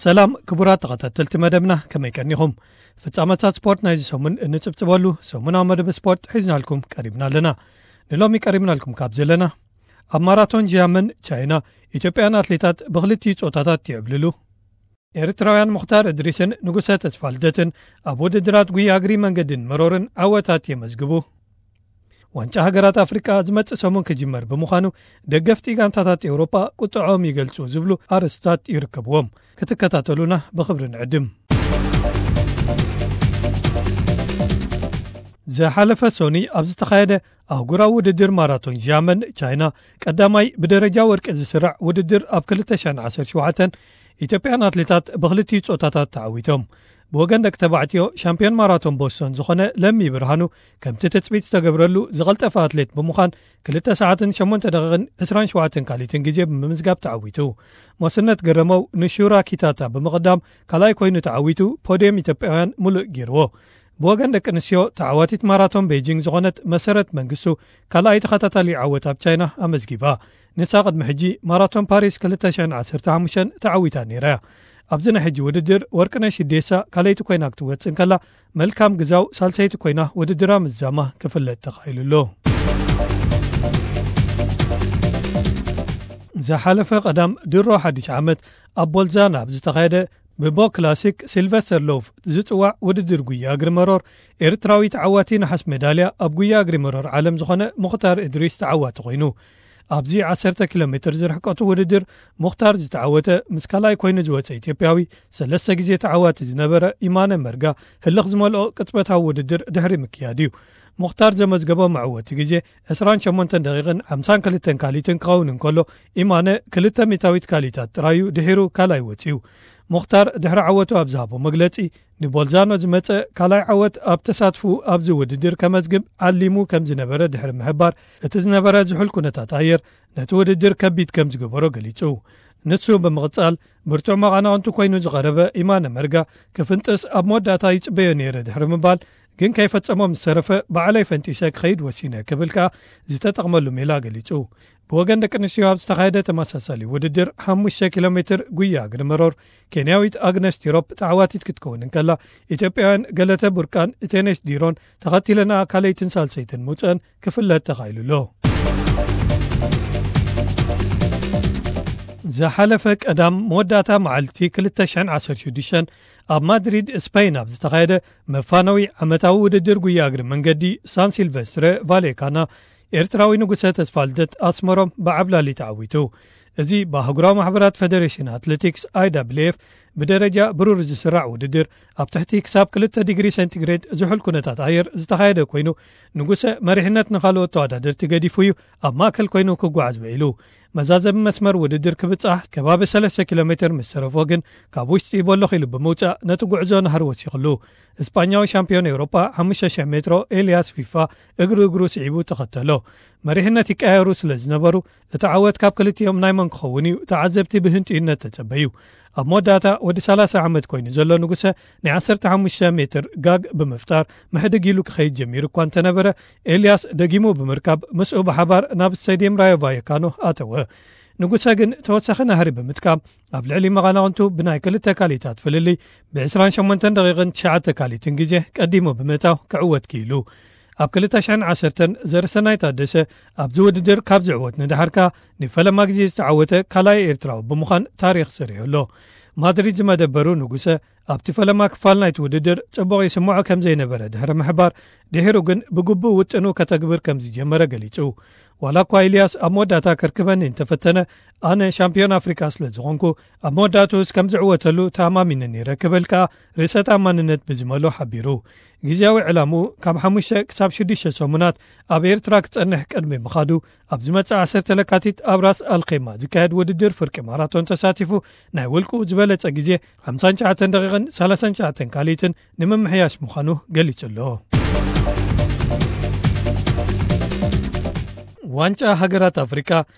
ሰላም ክቡራት ተኸታተልቲ መደብና፣ ከመይ ቀኒኹም? ፍጻመታት ስፖርት ናይዚ ሰሙን እንጽብጽበሉ ሰሙናዊ መደብ ስፖርት ሒዝናልኩም ቀሪብና ኣለና። ንሎሚ ቀሪብናልኩም ካብ ዘለና፣ ኣብ ማራቶን ጂያመን ቻይና፣ ኢትዮጵያን ኣትሌታት ብኽልቲኡ ጾታታት ይዕብልሉ። ኤርትራውያን ሙኽታር እድሪስን ንጉሰ ተስፋልደትን ኣብ ውድድራት ጉያ እግሪ መንገድን መሮርን ዓወታት የመዝግቡ። ዋንጫ ሃገራት ኣፍሪቃ ዝመጽእ ሰሙን ክጅመር ብምዃኑ፣ ደገፍቲ ጋንታታት ኤውሮጳ ቁጥዖም ይገልጹ ዝብሉ ኣርእስታት ይርከብዎም። ክትከታተሉና ብኽብሪ ንዕድም። ዝሓለፈ ሶኒ ኣብ ዝተኻየደ ኣህጉራዊ ውድድር ማራቶን ዣመን ቻይና፣ ቀዳማይ ብደረጃ ወርቂ ዝስራዕ ውድድር ኣብ ክልተ ሽሕን ዓሰርተ ሸውዓተን፣ ኢትዮጵያን ኣትሌታት ብኽልቲኡ ጾታታት ተዓዊቶም። ብወገን ደቂ ተባዕትዮ፣ ሻምፒዮን ማራቶን ቦስቶን ዝኾነ ለሚ ብርሃኑ፣ ከምቲ ትጽቢት ዝተገብረሉ ዝቐልጠፈ ኣትሌት ብምዃን፣ ክልተ ሰዓትን ሸሞንተ ደቂቕን ዕስራን ሸውዓተን ካሊትን ግዜ ብምምዝጋብ ተዓዊቱ። ሞስነት ገረመው ንሹራ ኪታታ ብምቕዳም ካልኣይ ኮይኑ ተዓዊቱ፣ ፖድየም ኢትዮጵያውያን ምሉእ ገይርዎ። ብወገን ደቂ ኣንስትዮ፣ ተዓዋቲት ማራቶን ቤጂንግ ዝኾነት መሰረት መንግስቱ ካልኣይ ተኸታታሊ ዓወት ኣብ ቻይና ኣመዝጊባ። ንሳ ቅድሚ ሕጂ ማራቶን ፓሪስ ክልተ ሽሕን ዓሰርተ ሓሙሽተን ተዓዊታ ነይራ እያ። ኣብዚ ናይ ሕጂ ውድድር፣ ወርቅነሽ ኢዴሳ ካልኣይቲ ኮይና ክትወጽእ እንከላ፣ መልካም ግዛው ሳልሰይቲ ኮይና ውድድራ ምዝዛማ ክፍለጥ ተኻኢሉ ኣሎ። ዝሓለፈ ቀዳም ድሮ ሓድሽ ዓመት ኣብ ቦልዛና ኣብ ዝተኻየደ ብቦ ክላሲክ ሲልቨስተር ሎቭ ዝጽዋዕ ውድድር ጉያ እግሪ መሮር፣ ኤርትራዊ ተዓዋቲ ነሓስ ሜዳልያ ኣብ ጉያ እግሪ መሮር ዓለም ዝኾነ ሙኽታር እድሪስ ተዓዋቲ ኮይኑ። ኣብዚ ዓሰርተ ኪሎ ሜትር ዝርሕቀቱ ውድድር፣ ሙኽታር ዝተዓወተ፣ ምስ ካልኣይ ኮይኑ ዝወጸ ኢትዮጵያዊ፣ ሰለስተ ግዜ ተዓዋቲ ዝነበረ ኢማነ መርጋ፣ ህልኽ ዝመልኦ ቅጽበታዊ ውድድር ድሕሪ ምክያድ እዩ። ሙኽታር ዘመዝገቦ መዕወቲ ግዜ ዕስራን ሸሞንተን ደቂቕን ሓምሳን ክልተን ካሊትን ክኸውን እንከሎ፣ ኢማነ ክልተ ሚእታዊት ካሊታት ጥራዩ ድሒሩ ካልኣይ ወጺኡ። ሙኽታር ድሕሪ ዓወቱ ኣብ ዝሃቦ መግለጺ፣ ንቦልዛኖ ዝመጸ ካልኣይ ዓወት ኣብ ተሳትፉ ኣብዚ ውድድር ከመዝግብ ዓሊሙ ከም ዝነበረ ድሕሪ ምሕባር፣ እቲ ዝነበረ ዝሑል ኩነታት ኣየር ነቲ ውድድር ከቢድ ከም ዝገበሮ ገሊጹ። ንሱ ብምቕጻል፣ ብርቱዕ መቓናቕንቱ ኮይኑ ዝቐረበ ኢማነ መርጋ፣ ክፍንጥስ ኣብ መወዳእታ ይጽበዮ ነይረ ድሕሪ ምባል፣ ግን ከይፈጸሞ ምስ ተረፈ፣ ባዕለይ ፈንጢሰ ክኸይድ ወሲነ ክብል ከኣ ዝተጠቕመሉ ሜላ ገሊጹ። ብወገን ደቂ ኣንስትዮ ኣብ ዝተኻየደ ተመሳሳሊ ውድድር፣ ሓሙሽተ ኪሎ ሜትር ጉያ እግሪ መሮር፣ ኬንያዊት ኣግነስ ቲሮፕ ተዓዋቲት ክትከውን እንከላ፣ ኢትዮጵያውያን ገለተ ቡርቃን እቴነሽ ዲሮን ተኸቲለና ካልኣይትን ሳልሰይትን ምውጽአን ክፍለጥ ተኻኢሉ ኣሎ። ዝሓለፈ ቀዳም መወዳእታ መዓልቲ ክልተ ሽሕን ዓሰርተ ሽዱሽተን ኣብ ማድሪድ ስፔን ኣብ ዝተኻየደ መፋነዊ ዓመታዊ ውድድር ጉያ እግሪ መንገዲ ሳን ሲልቨስትረ ቫሌካና፣ ኤርትራዊ ንጉሰ ተስፋልደት ኣስመሮም ብዓብላሊ ተዓዊቱ። እዚ ብኣህጉራዊ ማሕበራት ፈደሬሽን ኣትሌቲክስ፣ ኣይዳብልኤፍ፣ ብደረጃ ብሩር ዝስራዕ ውድድር፣ ኣብ ትሕቲ ክሳብ ክልተ ዲግሪ ሴንቲግሬድ ዝሑል ኩነታት ኣየር ዝተኻየደ ኮይኑ፣ ንጉሰ መሪሕነት ንኻልኦት ተወዳደርቲ ገዲፉ እዩ ኣብ ማእከል ኮይኑ ክጓዓዝ ውዒሉ። መዛዘሚ መስመር ውድድር ክብጻሕ ከባቢ ሰለስተ ኪሎ ሜትር ምስ ተረፎ ግን፣ ካብ ውሽጢ ቦሎኽ ኢሉ ብምውጻእ ነቲ ጉዕዞ ናህሪ ወሲኽሉ። እስጳኛዊ ሻምፒዮን ኤውሮጳ ሓሙሽተ ሽሕ ሜትሮ ኤልያስ ፊፋ እግሪ እግሩ ስዒቡ ተኸተሎ። መሪሕነት ይቀያየሩ ስለ ዝነበሩ፣ እቲ ዓወት ካብ ክልቲኦም ናይ መን ክኸውን እዩ? ተዓዘብቲ ብህንጥዩነት ተጸበዩ። ኣብ መወዳእታ፣ ወዲ ሰላሳ ዓመት ኮይኑ ዘሎ ንጉሰ፣ ናይ ዓሰርተ ሓሙሽተ ሜትር ጋግ ብምፍጣር፣ ምሕድግ ኢሉ ክኸይድ ጀሚሩ እኳ እንተነበረ፣ ኤልያስ ደጊሙ ብምርካብ፣ ምስኡ ብሓባር ናብ ስቴድየም ራዮ ቫየካኖ ኣተወ። ንጉሰ ግን ተወሳኺ ናህሪ ብምጥቃም፣ ኣብ ልዕሊ መቓናቕንቱ ብናይ ክልተ ካሊታት ፍልልይ፣ ብ ዕስራን ሸሞንተን ደቂቕን ትሽዓተ ካሊትን ግዜ ቀዲሙ ብምእታው ክዕወት ክኢሉ። ኣብ ክልተ ሽሕን ዓሰርተን ዘርሰናይ ታደሰ ኣብዚ ውድድር ካብ ዝዕወት ንደሓር ከኣ፣ ንፈለማ ግዜ ዝተዓወተ ካልኣይ ኤርትራዊ ብምዃን ታሪኽ ሰሪሑ ኣሎ። ማድሪድ ዝመደበሩ ንጉሰ፣ ኣብቲ ፈለማ ክፋል ናይቲ ውድድር ጽቡቕ ይስምዖ ከም ዘይነበረ ድሕሪ ምሕባር፣ ድሒሩ ግን ብግቡእ ውጥኑ ከተግብር ከም ዝጀመረ ገሊጹ። ዋላ እኳ ኢልያስ ኣብ መወዳእታ ከርክበኒ እንተፈተነ፣ ኣነ ሻምፒዮን ኣፍሪቃ ስለ ዝኾንኩ፣ ኣብ መወዳእትኡስ ከም ዝዕወተሉ ተኣማሚነ ነይረ ክብል ከኣ ርእሰ ተኣማንነት ብዝመልኦ ሓቢሩ። ግዝያዊ ዕላምኡ ካብ ሓሙሽተ ክሳብ ሽዱሽተ ሰሙናት ኣብ ኤርትራ ክጸንሕ ቅድሚ ምኻዱ፣ ኣብ ዝመጽእ ዓሰርተ ለካቲት ኣብ ራስ ኣልኼማ ዝካየድ ውድድር ፍርቂ ማራቶን ተሳቲፉ፣ ናይ ውልቁ ዝበለጸ ግዜ ሓምሳን ትሽዓተን ደቂቕን ሰላሳን ትሽዓተን ካልኢትን ንምምሕያሽ ምዃኑ ገሊጹ ኣሎ። ዋንጫ ሃገራት ኣፍሪቃ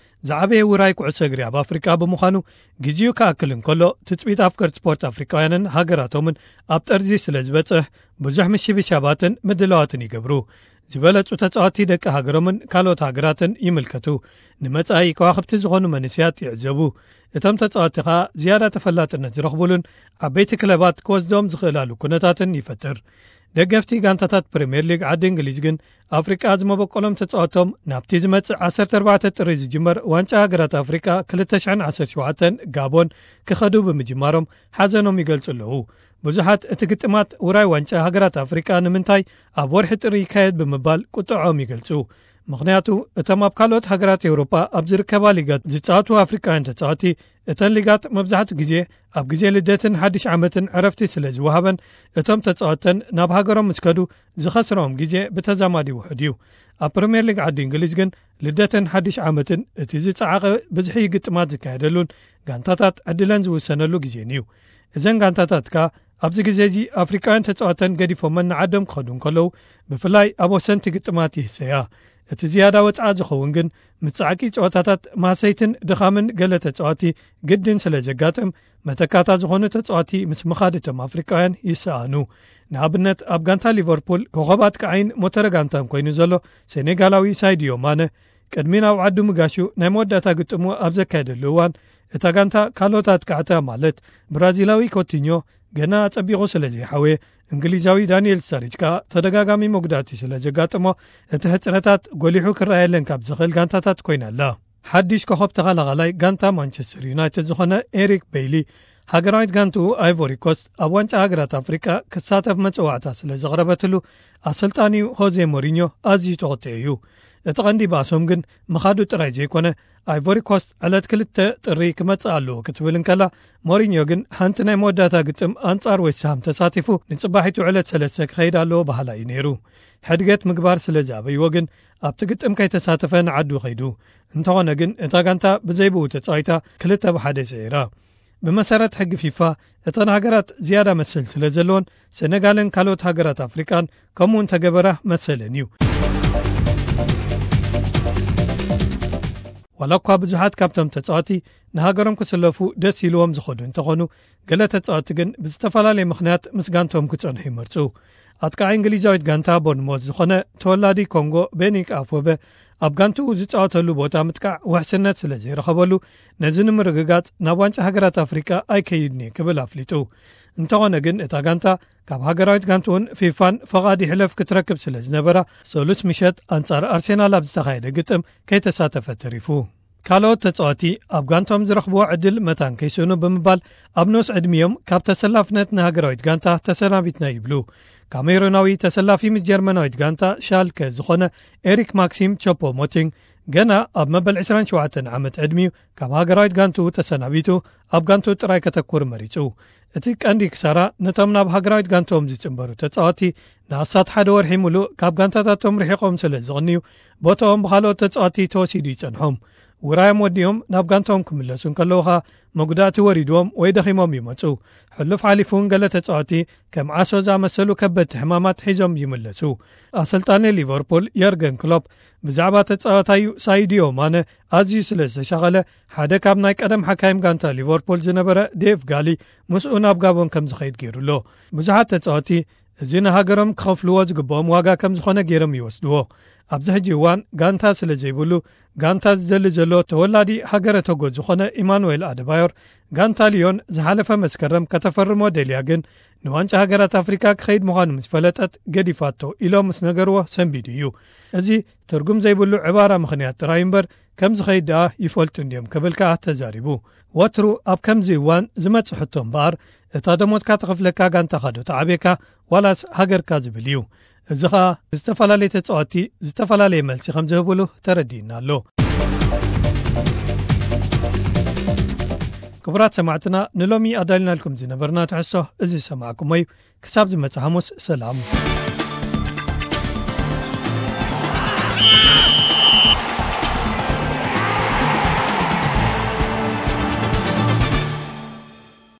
ዝዓበየ ውራይ ኩዕሶ እግሪ ኣብ ኣፍሪቃ ብምዃኑ፣ ግዜኡ ክኣክል እንከሎ፣ ትጽቢት ኣፍቀርቲ ስፖርት ኣፍሪቃውያንን ሃገራቶምን ኣብ ጠርዚ ስለ ዝበጽሕ፣ ብዙሕ ምሽብሻባትን ምድላዋትን ይገብሩ። ዝበለጹ ተጻወትቲ ደቂ ሃገሮምን ካልኦት ሃገራትን ይምልከቱ። ንመጻኢ ከዋኽብቲ ዝኾኑ መንእሰያት ይዕዘቡ። እቶም ተጻወትቲ ኸኣ ዝያዳ ተፈላጥነት ዝረኽቡሉን ዓበይቲ ክለባት ክወስዶም ዝኽእላሉ ኩነታትን ይፈጥር። ደገፍቲ ጋንታታት ፕሪምየር ሊግ ዓዲ እንግሊዝ ግን፣ ኣፍሪቃ ዝመበቆሎም ተጻወቶም ናብቲ ዝመጽእ ዓሰርተ ኣርባዕተ ጥሪ ዝጅመር ዋንጫ ሃገራት ኣፍሪቃ ክልተ ሽሕን ዓሰርተ ሸውዓተን ጋቦን ክኸዱ ብምጅማሮም ሓዘኖም ይገልጹ ኣለዉ። ብዙሓት እቲ ግጥማት ውራይ ዋንጫ ሃገራት ኣፍሪቃ ንምንታይ ኣብ ወርሒ ጥሪ ይካየድ ብምባል ቁጥዖም ይገልጹ። ምኽንያቱ፣ እቶም ኣብ ካልኦት ሃገራት ኤውሮጳ ኣብ ዝርከባ ሊጋት ዝጻወቱ ኣፍሪቃውያን ተጻወቲ፣ እተን ሊጋት መብዛሕትኡ ግዜ ኣብ ግዜ ልደትን ሓድሽ ዓመትን ዕረፍቲ ስለ ዝወሃበን፣ እቶም ተጻወተን ናብ ሃገሮም ምስ ከዱ ዝኸስርኦም ግዜ ብተዛማዲ ውሑድ እዩ። ኣብ ፕሪምየር ሊግ ዓዲ እንግሊዝ ግን፣ ልደትን ሓድሽ ዓመትን እቲ ዝጸዓቐ ብዝሒ ግጥማት ዝካየደሉን ጋንታታት ዕድለን ዝውሰነሉ ግዜን እዩ። እዘን ጋንታታት ከኣ ኣብዚ ግዜ እዚ ኣፍሪቃውያን ተጻወተን ገዲፎመን ንዓዶም ክኸዱ እንከለዉ፣ ብፍላይ ኣብ ወሰንቲ ግጥማት ይህሰያ። እቲ ዝያዳ ወጽዓ ዝኸውን ግን፣ ምስ ጻዕቂ ጸወታታት ማህሰይትን ድኻምን ገለ ተጻወቲ ግድን ስለ ዘጋጥም፣ መተካእታ ዝኾኑ ተጻወቲ ምስ ምኻድ እቶም ኣፍሪቃውያን ይሰኣኑ። ንኣብነት፣ ኣብ ጋንታ ሊቨርፑል ኮኸብ ኣጥቃዓይን ሞተረ ጋንታን ኮይኑ ዘሎ ሴኔጋላዊ ሳይድዮ ማነ፣ ቅድሚ ናብ ዓዱ ምጋሹ ናይ መወዳእታ ግጥሙ ኣብ ዘካየደሉ እዋን፣ እታ ጋንታ ካልኦት ኣጥቃዕታ ማለት ብራዚላዊ ኮቲኞ ገና ኣጸቢቑ ስለ ዘይሓወየ፣ እንግሊዛዊ ዳንኤል ስታሪጅ ከኣ ተደጋጋሚ መጉዳእቲ ስለ ዘጋጠሞ፣ እቲ ሕጽረታት ጎሊሑ ክረኣየለን ካብ ዝኽእል ጋንታታት ኮይና ኣላ። ሓድሽ ኮኸብ ተኸላኻላይ ጋንታ ማንቸስተር ዩናይትድ ዝኾነ ኤሪክ ቤይሊ፣ ሃገራዊት ጋንትኡ ኣይቮሪ ኮስት ኣብ ዋንጫ ሃገራት ኣፍሪቃ ክሳተፍ መጸዋዕታ ስለ ዘቕረበትሉ፣ ኣሰልጣኒኡ ሆዜ ሞሪኞ ኣዝዩ ተቖጢዑ እዩ። እቲ ቀንዲ ባእሶም ግን ምኻዱ ጥራይ ዘይኮነ፣ ኣይቮሪ ኮስት ዕለት ክልተ ጥሪ ክመጽእ ኣለዎ ክትብል እንከላ፣ ሞሪኞ ግን ሓንቲ ናይ መወዳእታ ግጥም ኣንጻር ዌስትሃም ተሳቲፉ፣ ንጽባሒቱ ዕለት ሰለስተ ክኸይድ ኣለዎ በሃላይ እዩ ነይሩ። ሕድገት ምግባር ስለ ዝኣበይዎ ግን፣ ኣብቲ ግጥም ከይተሳተፈ ንዓዱ ኸይዱ። እንተኾነ ግን፣ እታ ጋንታ ብዘይ ብኡ ተጻዊታ ክልተ ብ ሓደ ስዒራ። ብመሰረት ሕጊ ፊፋ፣ እተን ሃገራት ዝያዳ መሰል ስለ ዘለወን፣ ሰነጋልን ካልኦት ሃገራት ኣፍሪቃን ከምኡ እንተገበራ መሰለን እዩ። ዋላ እኳ ብዙሓት ካብቶም ተጻወቲ ንሃገሮም ክስለፉ ደስ ኢልዎም ዝኸዱ እንተኾኑ፣ ገለ ተጻወቲ ግን ብዝተፈላለየ ምኽንያት ምስ ጋንቶም ክጸንሑ ይመርጹ። ኣጥቃዒ እንግሊዛዊት ጋንታ ቦርንሞዝ ዝኾነ ተወላዲ ኮንጎ ቤኒክ ኣፎበ፣ ኣብ ጋንትኡ ዝጻወተሉ ቦታ ምጥቃዕ ውሕስነት ስለ ዘይረኸበሉ፣ ነዚ ንምርግጋጽ ናብ ዋንጫ ሃገራት ኣፍሪቃ ኣይከይድን እየ ክብል ኣፍሊጡ። እንተኾነ ግን፣ እታ ጋንታ ካብ ሃገራዊት ጋንትኡን ፊፋን ፈቓድ ይሕለፍ ክትረክብ ስለ ዝነበራ፣ ሰሉስ ምሸት ኣንጻር ኣርሴናል ኣብ ዝተኻየደ ግጥም ከይተሳተፈ ተሪፉ። ካልኦት ተጻወቲ ኣብ ጋንቶም ዝረኽብዎ ዕድል መታን ከይስእኑ ብምባል፣ ኣብ ንኡስ ዕድሚኦም ካብ ተሰላፍነት ንሃገራዊት ጋንታ ተሰናቢትና ይብሉ። ካሜሩናዊ ተሰላፊ ምስ ጀርመናዊት ጋንታ ሻልከ ዝኾነ ኤሪክ ማክሲም ቾፖ ሞቲንግ፣ ገና ኣብ መበል ዕስራን ሸውዓተን ዓመት ዕድሚኡ ካብ ሃገራዊት ጋንትኡ ተሰናቢቱ፣ ኣብ ጋንትኡ ጥራይ ከተኩር መሪጹ። እቲ ቀንዲ ክሳራ ነቶም ናብ ሃገራዊት ጋንትኦም ዝጽንበሩ ተጻወቲ፣ ንኣስታት ሓደ ወርሒ ሙሉእ ካብ ጋንታታቶም ርሒቖም ስለ ዝቕንዩ፣ ቦታኦም ብኻልኦት ተጻወቲ ተወሲዱ ይጸንሖም። ውራዮም ወዲኦም ናብ ጋንትኦም ክምለሱ እንከለዉ ኸኣ፣ መጉዳእቲ ወሪድዎም ወይ ደኺሞም ይመጹ። ሕሉፍ ሓሊፉ እውን ገለ ተጻወቲ ከም ዓሶ ዝኣመሰሉ ከበድቲ ሕማማት ሒዞም ይምለሱ። ኣሰልጣኒ ሊቨርፑል የርገን ክሎፕ ብዛዕባ ተጻዋታዩ ሳይድዮ ማነ ኣዝዩ ስለ ዝተሻቐለ፣ ሓደ ካብ ናይ ቀደም ሓካይም ጋንታ ሊቨርፑል ዝነበረ ዴቭ ጋሊ ምስኡ ናብ ጋቦን ከም ዝኸይድ ገይሩ ኣሎ። ብዙሓት ተጻወቲ እዚ ንሃገሮም ክኸፍልዎ ዝግብኦም ዋጋ ከም ዝኾነ ገይሮም ይወስድዎ። ኣብዚ ሕጂ እዋን ጋንታ ስለ ዘይብሉ፣ ጋንታ ዝደሊ ዘሎ ተወላዲ ሃገረ ቶጎ ዝኾነ ኢማኑኤል ኣደባዮር፣ ጋንታ ሊዮን ዝሓለፈ መስከረም ከተፈርሞ ደልያ፣ ግን ንዋንጫ ሃገራት ኣፍሪካ ክኸይድ ምዃኑ ምስ ፈለጠት ገዲፋቶ ኢሎም ምስ ነገርዎ ሰንቢዱ እዩ። እዚ ትርጉም ዘይብሉ ዕባራ ምኽንያት ጥራይ እምበር፣ ከም ዝኸይድ ደኣ ይፈልጡ እንድዮም ክብል ከኣ ተዛሪቡ። ወትሩ ኣብ ከምዚ እዋን ዝመጽእ ሕቶ እምበኣር፣ እታ ደሞዝካ ትኸፍለካ ጋንታኻ ዶ ተዓብየካ ዋላስ ሃገርካ ዝብል እዩ። እዚ ኸኣ ዝተፈላለየ ተጻወቲ ዝተፈላለየ መልሲ ከም ዝህብሉ ተረዲእና ኣሎ። ክቡራት ሰማዕትና፣ ንሎሚ ኣዳልናልኩም ዝነበርና ትሕዝቶ እዚ ዝሰማዕኩሞ እዩ። ክሳብ ዝመጽእ ሓሙስ፣ ሰላም።